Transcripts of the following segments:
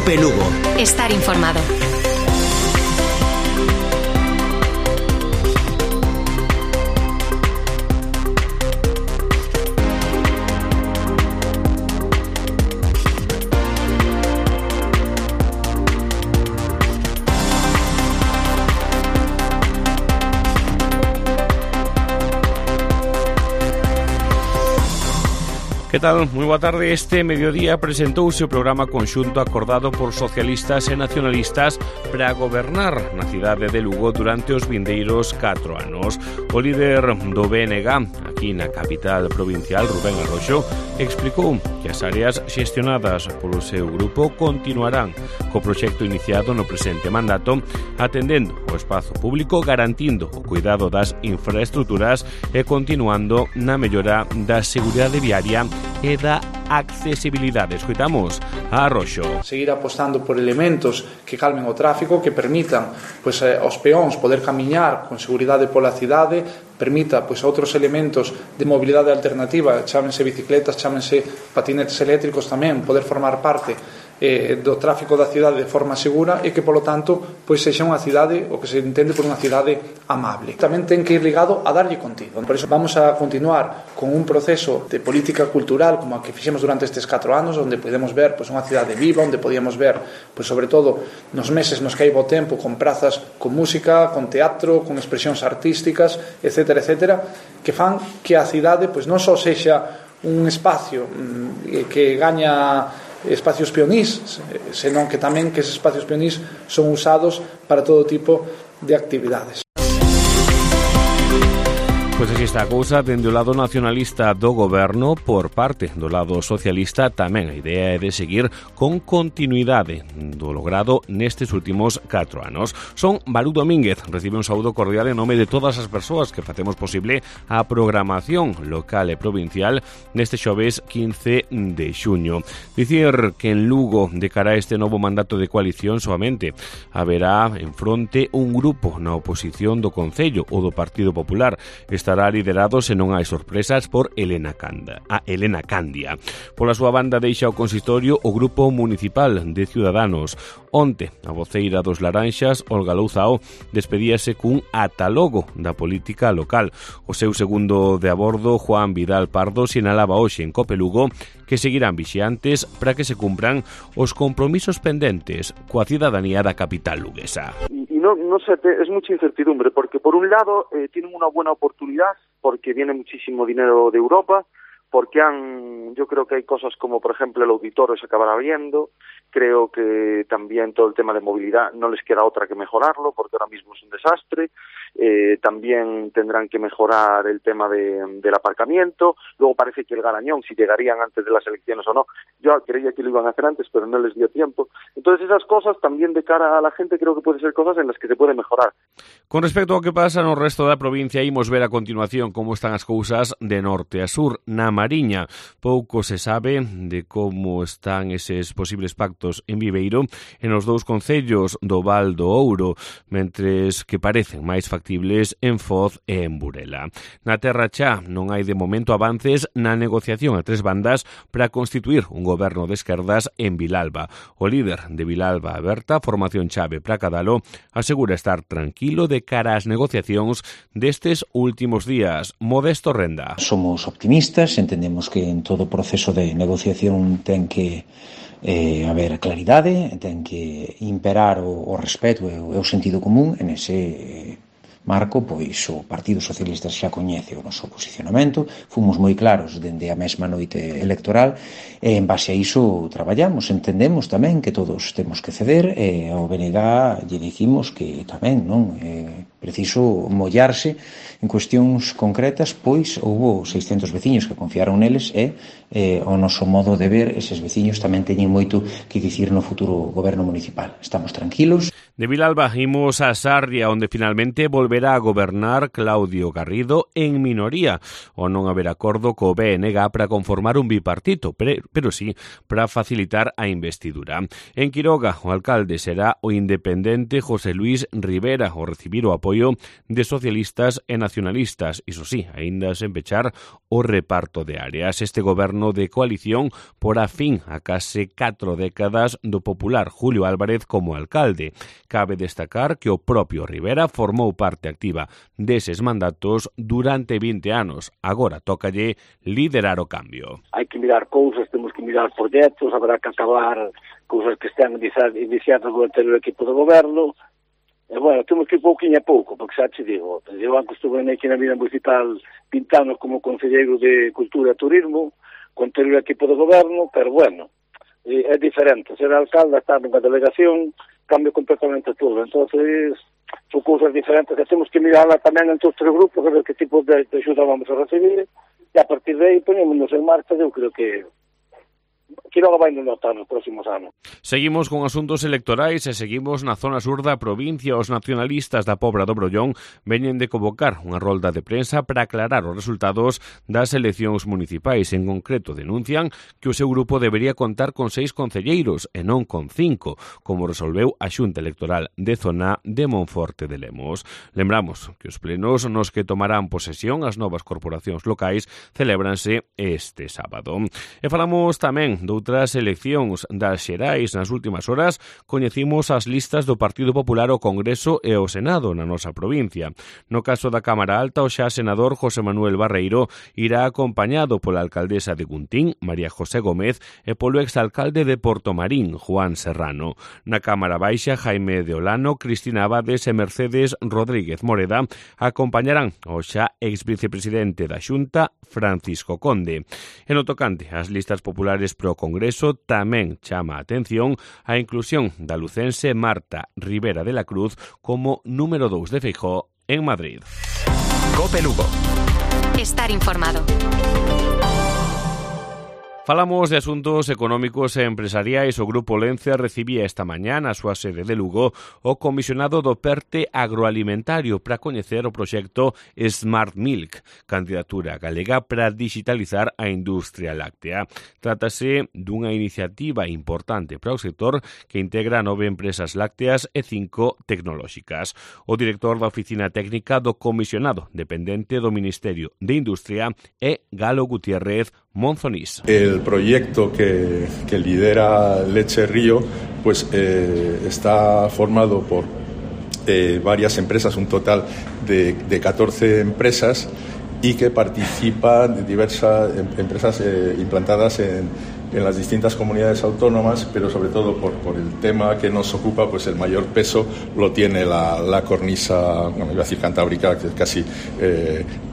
COPE Lugo. Estar informado. Que tal? Moi boa tarde. Este mediodía presentouse o programa conxunto acordado por socialistas e nacionalistas para gobernar na cidade de Lugo durante os vindeiros 4 anos. O líder do BNG, aquí na capital provincial, Rubén Arroxo, explicou que as áreas xestionadas polo seu grupo continuarán co proxecto iniciado no presente mandato, atendendo o espazo público, garantindo o cuidado das infraestructuras e continuando na mellora da seguridade viaria e da accesibilidade. Escoitamos a Arroxo. Seguir apostando por elementos que calmen o tráfico, que permitan aos peóns poder camiñar con seguridade pola cidade, permita outros elementos de mobilidade alternativa, chámense bicicletas, chámense patinetes eléctricos tamén, poder formar parte do tráfico da cidade de forma segura e que, polo tanto, sexa unha cidade, o que se entende por unha cidade amable. Tamén ten que ir ligado a darlle contido. Por iso vamos a continuar con un proceso de política cultural como a que fixemos durante estes 4 anos, onde podemos ver unha cidade viva, onde podíamos ver, sobre todo, nos meses nos que hai bo tempo, con prazas con música, con teatro, con expresións artísticas, etcétera, etcétera, que fan que a cidade non só sexa un espacio que gaña espacios peonís, senón que tamén que esos espacios peonís son usados para todo tipo de actividades. Pois así está a cousa, dende o lado nacionalista do goberno, por parte do lado socialista tamén a idea é de seguir con continuidade do logrado nestes últimos 4 anos. Son Balú Domínguez, recibe un saúdo cordial en nome de todas as persoas que facemos posible a programación local e provincial neste xoves 15 de xuño. Dicir que en Lugo, de cara a este novo mandato de coalición, soamente haberá en fronte un grupo na oposición do Concello, o do Partido Popular. Estará liderado, se non hai sorpresas, por Elena Candia. Pola súa banda deixa o consistorio o Grupo Municipal de Ciudadanos. Onte, a voceira dos Laranxas, Olga Louzao, despedíase cun atalogo da política local. O seu segundo de a bordo, Juan Vidal Pardo, sinalaba hoxe en COPE Lugo que seguirán vixiantes para que se cumpran os compromisos pendentes coa cidadanía da capital luguesa. No sé, es mucha incertidumbre, porque por un lado tienen una buena oportunidad, porque viene muchísimo dinero de Europa, porque yo creo que hay cosas como, por ejemplo, el auditorio se acabará viendo. Creo que también todo el tema de movilidad no les queda otra que mejorarlo, porque ahora mismo es un desastre. También tendrán que mejorar el tema del aparcamiento. Luego parece que el Garañón, si llegarían antes de las elecciones o no, yo creía que lo iban a hacer antes, pero no les dio tiempo. Entonces esas cosas también de cara a la gente creo que pueden ser cosas en las que se puede mejorar. Con respecto ao que pasa no resto da provincia, imos ver a continuación como están as cousas de norte a sur. Na Mariña, pouco se sabe de como están eses posibles pactos en Viveiro e nos dous concellos do Val do Ouro, mentres que parecen máis factibles en Foz e en Burela. Na Terra Chá non hai de momento avances na negociación a tres bandas para constituir un goberno de esquerdas en Vilalba. O líder de Vilalba Aberta, formación chave para Cadalo, asegura estar tranquilo de cara ás negociacións destes últimos días. Modesto Renda. Somos optimistas, entendemos que en todo proceso de negociación ten que haber claridade, ten que imperar o respeto e o sentido común. En ese marco, pois o Partido Socialista xa coñece o noso posicionamento, fomos moi claros dende a mesma noite electoral e en base a iso traballamos, entendemos tamén que todos temos que ceder e ao BNG lle dicimos que tamén non é preciso mollarse en cuestións concretas, pois houbo 600 veciños que confiaron neles e o noso modo de ver, eses veciños tamén teñen moito que dicir no futuro goberno municipal. Estamos tranquilos. De Vilalba imos a Sarria, onde finalmente volverá a gobernar Claudio Garrido en minoría, o non haber acordo co BNG para conformar un bipartito, pero sí para facilitar a investidura. En Quiroga, o alcalde será o independente José Luis Rivera, o recibir o apoio de socialistas e nacionalistas, iso sí, aínda sen pechar o reparto de áreas. Este goberno de coalición porá fin a case 4 décadas do popular Julio Álvarez como alcalde. Cabe destacar que o propio Rivera formou parte activa deses mandatos durante 20 anos. Agora tócalle liderar o cambio. Hai que mirar cousas, temos que mirar proxectos, habrá que acabar cousas que están iniciadas do anterior equipo de goberno. E, bueno, temos que ir pouquinho a pouco, porque xa te digo, eu antes estuve aquí na vida municipal 20 anos como concelleiro de Cultura e Turismo, con anterior equipo de goberno, pero, bueno, é diferente. Ser alcalde, estar nunha delegación, cambia completamente todo. Entonces, son cousas diferentes que temos que mirarla tamén entre os tres grupos, a ver que tipo de axuda vamos a recibir, e a partir de aí ponémonos en marcha, eu creo que logo vai notar nos próximos anos. Seguimos con asuntos electorais e seguimos na zona sur da provincia. Os nacionalistas da Pobra do Brollón veñen de convocar unha rolda de prensa para aclarar os resultados das eleccións municipais. En concreto, denuncian que o seu grupo debería contar con 6 concelleiros e non con 5, como resolveu a Xunta Electoral de Zona de Monforte de Lemos. Lembramos que os plenos nos que tomarán posesión as novas corporacións locais celébranse este sábado. E falamos tamén doutras eleccións das xerais. Nas últimas horas coñecimos as listas do Partido Popular ao Congreso e ao Senado na nosa provincia. No caso da Cámara Alta, o xa senador José Manuel Barreiro irá acompañado pola alcaldesa de Guntín, María José Gómez, e polo exalcalde de Portomarín, Juan Serrano. Na Cámara Baixa, Jaime de Olano, Cristina Abades e Mercedes Rodríguez Moreda acompañarán ao xa exvicepresidente da Xunta, Francisco Conde. En o tocante ás listas populares pro Congreso, tamén chama a atención a inclusión da lucense Marta Rivera de la Cruz como número 2 de Feijóo en Madrid. COPE Lugo. Estar informado. Falamos de asuntos económicos e empresariais. O Grupo Lencia recibía esta mañá na súa sede de Lugo o comisionado do PERTE agroalimentario para coñecer o proxecto Smart Milk, candidatura galega para digitalizar a industria láctea. Trátase dunha iniciativa importante para o sector que integra 9 empresas lácteas e 5 tecnolóxicas. O director da Oficina Técnica do Comisionado dependente do Ministerio de Industria é Galo Gutiérrez Monzonís. El proyecto que lidera Leche Río pues está formado por varias empresas, un total de 14 empresas, y que participan de diversas empresas implantadas en las distintas comunidades autónomas, pero sobre todo por el tema que nos ocupa, pues el mayor peso lo tiene la cornisa, bueno, iba a decir cantábrica, que es casi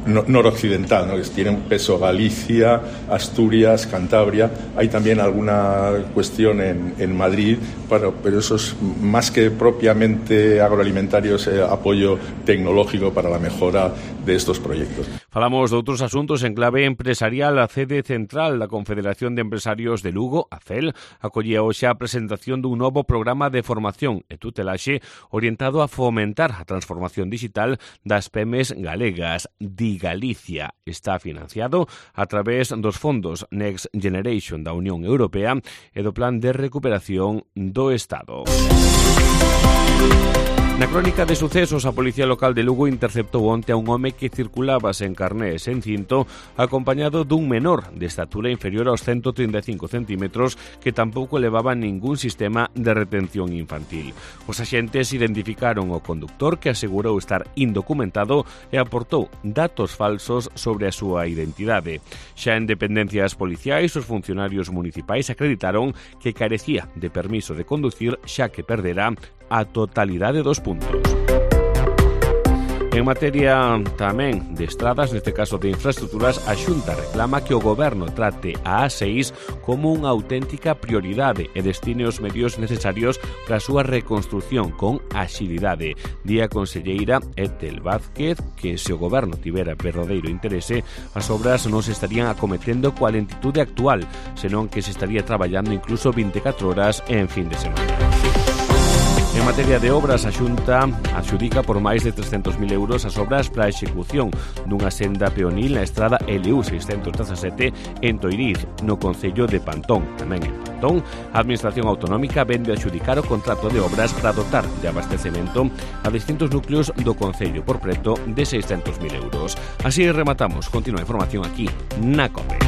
noroccidental, ¿no? Que tiene un peso Galicia, Asturias, Cantabria. Hay también alguna cuestión en Madrid, pero eso es más que propiamente agroalimentario, es apoyo tecnológico para la mejora de estos proyectos. Falamos de outros asuntos en clave empresarial. A sede central da Confederación de Empresarios de Lugo, a CEL, acollía hoxe a presentación dun novo programa de formación e tutelaxe orientado a fomentar a transformación digital das PEMES galegas. Di Galicia está financiado a través dos fondos Next Generation da Unión Europea e do Plan de Recuperación do Estado. Na crónica de sucesos, a Policía Local de Lugo interceptou onte a un home que circulaba sen carné e sen cinto, acompañado dun menor de estatura inferior aos 135 centímetros que tampouco levaba ningún sistema de retención infantil. Os axentes identificaron o conductor, que asegurou estar indocumentado e aportou datos falsos sobre a súa identidade. Xa en dependencias policiais, os funcionarios municipais acreditaron que carecía de permiso de conducir, xa que perdera a totalidade dos puntos. En materia tamén de estradas, neste caso de infraestructuras, a Xunta reclama que o Goberno trate a A6 como unha auténtica prioridade e destine os medios necesarios para a súa reconstrución con axilidade. Di a conselleira Etel Vázquez que se o Goberno tivera verdadeiro interese, as obras non se estarían acometendo coa lentitude actual, senón que se estaría traballando incluso 24 horas en fin de semana. En materia de obras, a Xunta adxudica por máis de 300.000 euros as obras para a execución dunha senda peonil na estrada LU 617 en Toiriz, no concello de Pantón. Tamén en Pantón, a Administración Autonómica vende a adxudicar o contrato de obras para dotar de abastecemento a distintos núcleos do concello por preto de 600.000 euros. Así rematamos. Continúa a información aquí na COPE.